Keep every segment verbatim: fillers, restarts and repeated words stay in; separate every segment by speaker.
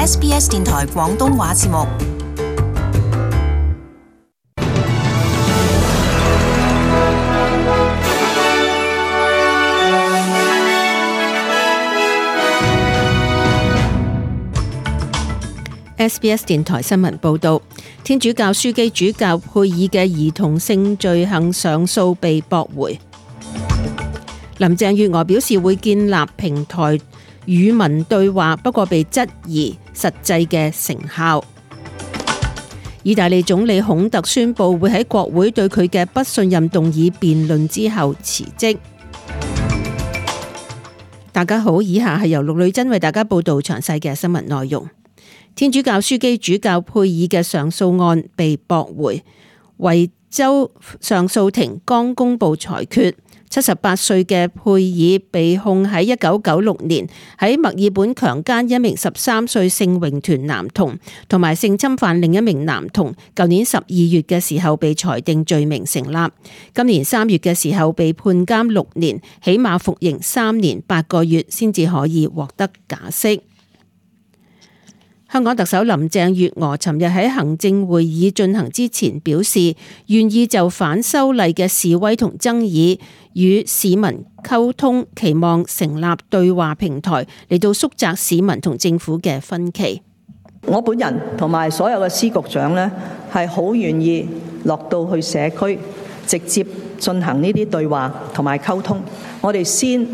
Speaker 1: S B S 電台廣東話節目。
Speaker 2: S B S 電台新聞報道，天主教樞機主教佩爾嘅兒童性罪行上訴被駁回。林鄭月娥表示會建立平台與民對話，不過被質疑實際嘅成效。意大利總理孔特宣布會喺國會對佢嘅不信任動議辯論之後辭職。大家好，以下係由陸女真為大家報道詳細嘅新聞內容。天主教樞機主教佩爾嘅上訴案被駁回，維州上訴庭剛公布裁決。七十八歲嘅佩爾被控喺一九九六年喺墨爾本強姦一名十三歲聖詠團男童，同埋性侵犯另一名男童。舊年十二月嘅時候被裁定罪名成立，今年三月嘅時候被判監六年，起碼服刑三年八個月先至可以獲得假釋。香港特首林鄭月娥尋日喺行政會議進行之前表示，願意就反修例嘅示威同爭議與市民溝通，期望成立對話平台嚟到縮窄市民同政府嘅分歧。
Speaker 3: 我本人同埋所有嘅司局長呢，係好願意落到去社區，直接進行呢啲對話同埋溝通。我哋先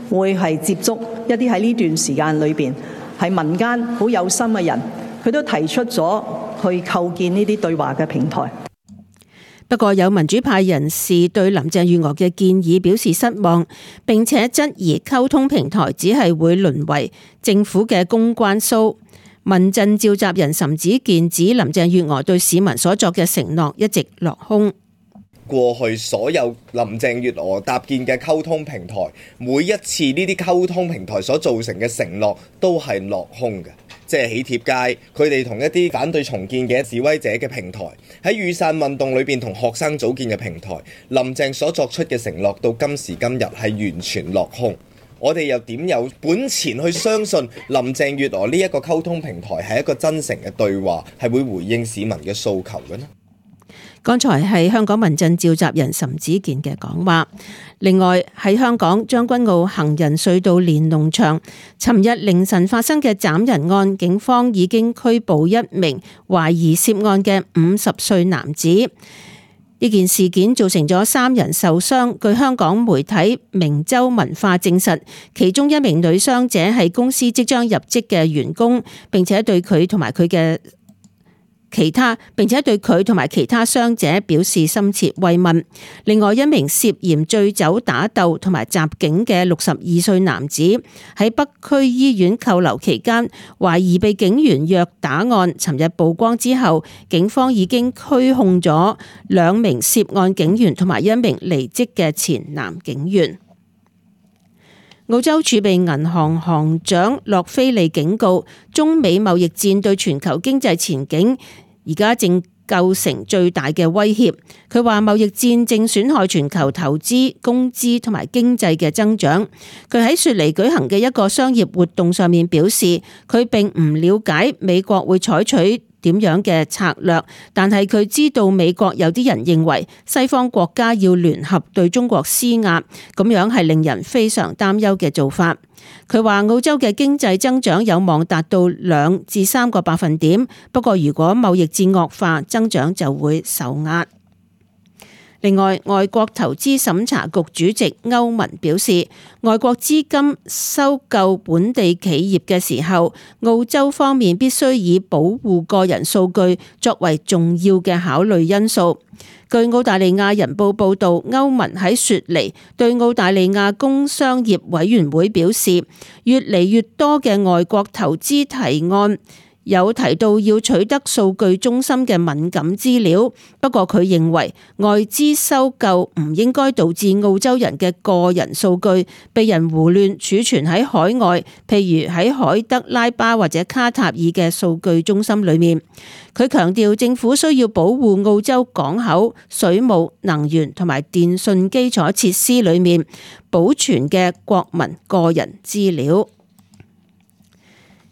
Speaker 3: 會係接觸一啲喺呢段時間裏邊係民間好有心嘅人，佢都提出咗去構建呢啲對話嘅平台。
Speaker 2: 不過有民主派人士對林鄭月娥嘅建議表示失望，並且質疑溝通平台只係會淪為政府嘅公關 show。民陣召集人岑子健指林鄭月娥對市民所作嘅承諾一直落空。
Speaker 4: 過去所有林鄭月娥搭建嘅溝通平台，每一次呢啲溝通平台所造成嘅承諾都係落空嘅，即係喜帖街佢哋同一啲反對重建嘅示威者嘅平台，喺雨傘運動裏邊同學生組建嘅平台，林鄭所作出嘅承諾到今時今日係完全落空。我哋又點有本錢去相信林鄭月娥呢一個溝通平台係一個真誠嘅對話，係會回應市民嘅訴求嘅呢？
Speaker 2: 剛才係香港民陣召集人岑子健嘅講話。另外喺香港將軍澳行人隧道連儂牆，尋日凌晨發生嘅斬人案，警方已經拘捕一名懷疑涉案嘅五十歲男子。呢件事件造成咗三人受傷。據香港媒體明州文化證實，其中一名女傷者係公司即將入職嘅員工，並且對佢同埋佢嘅其他，並且對佢同埋其他傷者表示深切慰問。另外一名涉嫌醉酒打鬥同埋襲警嘅六十二歲男子喺北區醫院扣留期間，懷疑被警員虐打案，尋日曝光之後，警方已經拘控咗兩名涉案警員同埋一名離職嘅前男警員。澳洲儲備銀行行長洛菲利警告，中美貿易戰對全球經濟前景而家正構成最大嘅威脅。佢話貿易戰正損害全球投資、工資同埋經濟嘅增長。佢喺雪梨舉行嘅一個商業活動上面表示，佢並唔了解美國會採取點樣嘅策略，但係佢知道美國有啲人認為西方國家要聯合對中國施壓，咁樣係令人非常擔憂嘅做法。佢話澳洲嘅經濟增長有望達到兩至三個百分點，不過如果貿易戰惡化，增長就會受壓。另外，外國投資審查局主席歐文表示，外國資金收購本地企業嘅時候，澳洲方面必須以保護個人數據作為重要嘅考慮因素。據澳大利亞人報報導，歐文喺雪梨對澳大利亞工商業委員會表示，越嚟越多嘅外國投資提案有提到要取得數據中心嘅敏感資料，不過佢認為外資收購唔應該導致澳洲人嘅個人數據被人胡亂儲存喺海外，譬如喺海德拉巴或者卡塔爾嘅數據中心裏面。佢強調政府需要保護澳洲港口、水務、能源同埋電信基礎設施裏面保存嘅國民個人資料。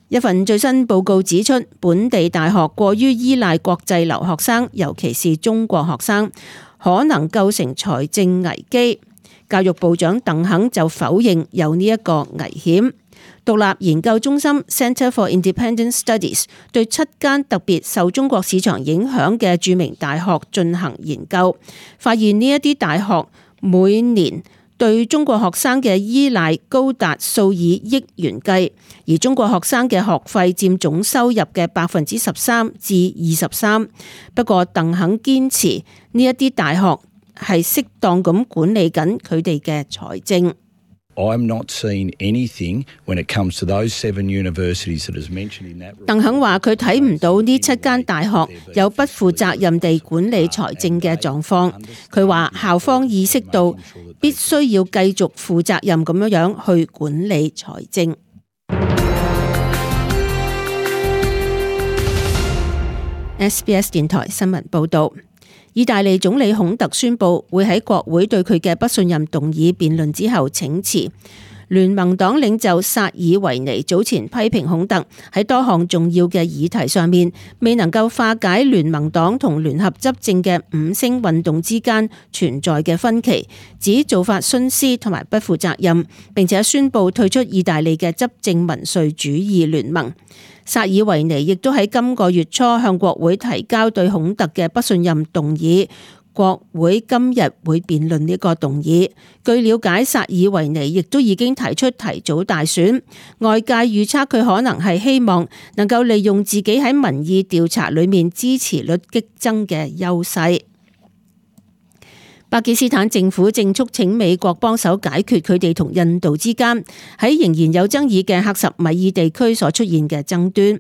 Speaker 2: 一份最新報告指出，本地大學過於依賴國際留學生，尤其是中國學生，可能構成財政危機。教育部長鄧肯就否認有呢一個危險。獨立研究中心 Center for Independent Studies 對七間特別受中國市場影響嘅著名大學進行研究，發現呢一啲大學每年對中國學生嘅依賴高達數以億元計，而中國學生嘅學費佔總收入嘅百分之十三至二十三。不過鄧肯堅持呢一啲大學係適當咁管理緊佢哋嘅財政。
Speaker 5: I'm not seeing anything when it comes to those seven universities that is mentioned in that report.
Speaker 2: 鄧肯話佢睇唔到呢七間大學有不負責任地管理財政嘅狀況。佢話校方意識到必須要繼續負責任咁樣樣去管理財政。S B S 電台新聞報道。意大利總理孔特宣布會喺國會對佢嘅不信任動議辯論之後請辭。聯盟黨領袖薩爾維尼早前批評孔特喺多項重要嘅議題上面未能夠化解聯盟黨同聯合執政嘅五星運動之間存在嘅分歧，指做法徇私同埋不負責任，並且宣布退出意大利嘅執政民粹主義聯盟。薩爾維尼亦都喺今個月初向國會提交對孔特嘅不信任動議，國會今日會辯論呢個動議。據了解，薩爾維尼亦都已經提出提早大選，外界預測佢可能係希望能夠利用自己喺民意調查裏面支持率激增嘅優勢。巴基斯坦政府正促請美國幫手解決佢哋同印度之間喺仍然有爭議嘅克什米爾地區所出現嘅爭端。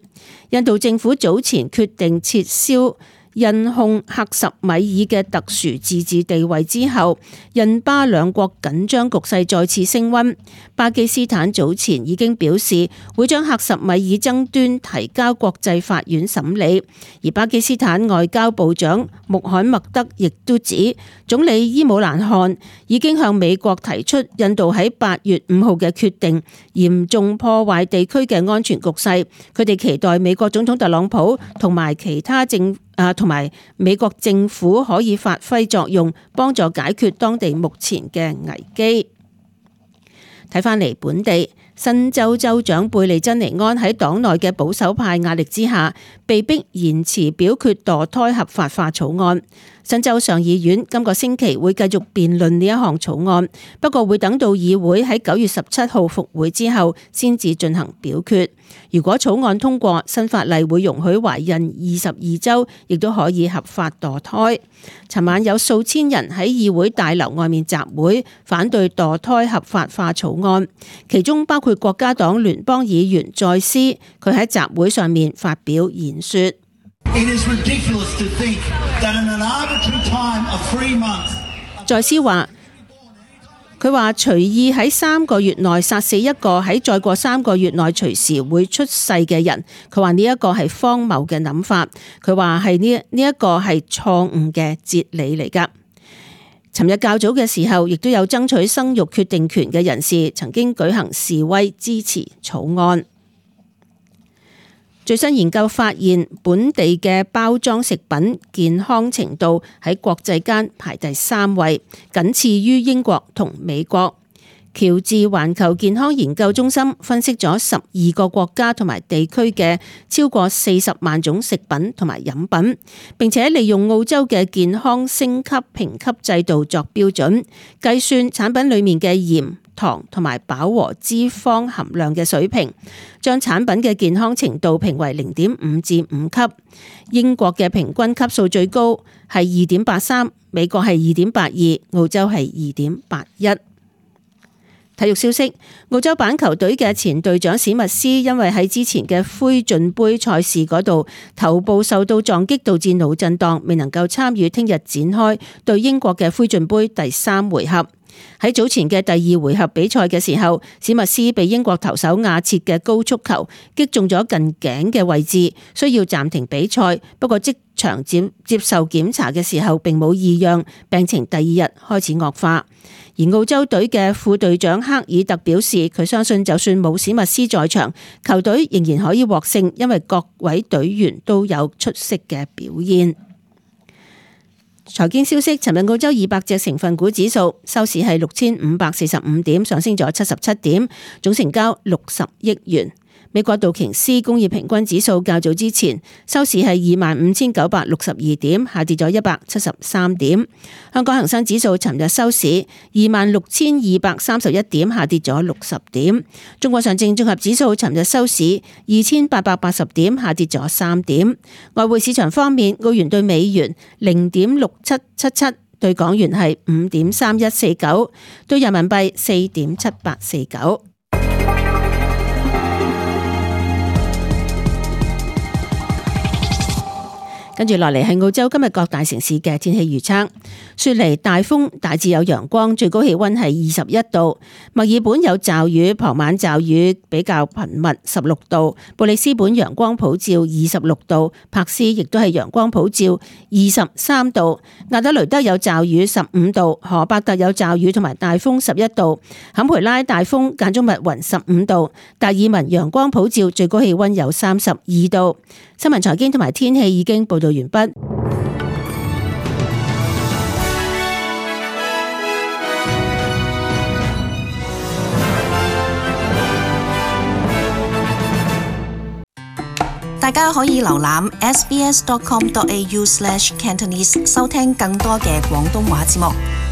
Speaker 2: 印度政府早前決定撤銷印控克什米爾嘅特殊自治地位之後，印巴兩國緊張局勢再次升溫。巴基斯坦早前已經表示會將克什米爾爭端提交國際法院審理，而巴基斯坦外交部長穆罕默德亦都指，總理伊姆蘭汗已經向美國提出印度喺八月五號嘅決定嚴重破壞地區嘅安全局勢，佢哋期待美國總統特朗普同埋其他政啊，同埋美國政府可以發揮作用，幫助解決當地目前嘅危機。睇返嚟本地，新州州長貝利珍尼安喺黨內嘅保守派壓力之下，被迫延遲表決墮胎合法化草案。新州上議院今個星期會繼續辯論呢一項草案，不過會等到議會喺九月十七號復會之後先至進行表決。如果草案通過，新法例會容許懷孕二十二周亦都可以合法墮胎。尋晚有數千人喺議會大樓外面集會，反對墮胎合法化草案，其中包括國家黨聯邦議員再斯，佢喺集會上面發表演說。再斯話，佢話隨意喺三個月內殺死一個喺再過三個月內隨時會出世嘅人，佢話呢一個係荒謬嘅諗法，佢話係呢呢一個係錯誤嘅哲理嚟㗎。尋日較早嘅時候，亦都有爭取生育決定權嘅人士曾經舉行示威支持草案。最新研究發現，本地嘅包裝食品健康程度喺國際間排第三位，僅次於英國同美國。喬治環球健康研究中心分析咗十二個國家同埋地區嘅超過四十萬種食品同埋飲品，並且利用澳洲嘅健康升級評級制度作標準，計算產品裡面嘅鹽、糖同埋飽和脂肪含量嘅水平，將產品嘅健康程度評為零點五至五級。英國嘅平均級數最高係二點八三，美國係二點八二，澳洲係二點八一。體育消息，澳洲板球隊嘅前隊長史密斯因為喺之前嘅灰進杯賽事嗰度頭部受到撞擊導致腦震盪，未能夠參與聽日展開對英國嘅灰進杯第三回合。喺早前嘅第二回合比賽嘅時候，史密斯被英國投手亞切嘅高速球擊中咗近頸嘅位置，需要暫停比賽。不過即場接接受檢查嘅時候並冇異樣，病情第二日開始惡化。而澳洲隊嘅副隊長克爾特表示，佢相信就算冇史密斯在場，球隊仍然可以獲勝，因為各位隊員都有出色嘅表現。財經消息，尋日澳洲二百隻成分股指數收市係六千五百四十五點，上升咗七十七點，總成交六十億元。美國道瓊斯工業平均指數較早之前收市係二萬五千九百六十二點，下跌咗一百七十三點。香港恒生指數尋日收市二萬六千二百三十一點，下跌咗六十點。中國上證綜合指數尋日收市二千八百八十點，下跌咗三點。外匯市場方面，澳元對美元零點六七七七，對港元係五點三一四九，對人民幣四點七八四九。跟住落嚟係澳洲今日各大城市嘅天氣預測。雪梨大風，大致有陽光，最高氣溫係二十一度。墨爾本有驟雨，傍晚驟雨比較頻密，十六度。布里斯本陽光普照，二十六度。柏斯亦都係陽光普照，二十三度。亞德雷德有驟雨，十五度。荷伯特有驟雨同埋大風，十一度。坎培拉大風間中密雲，十五度。達爾文陽光普照，最高氣溫有三十二度。新聞財經同埋天氣已經報道完畢。
Speaker 1: 大家可以瀏覽 s b s dot com dot a u slash cantonese 收聽更多嘅廣東話節目。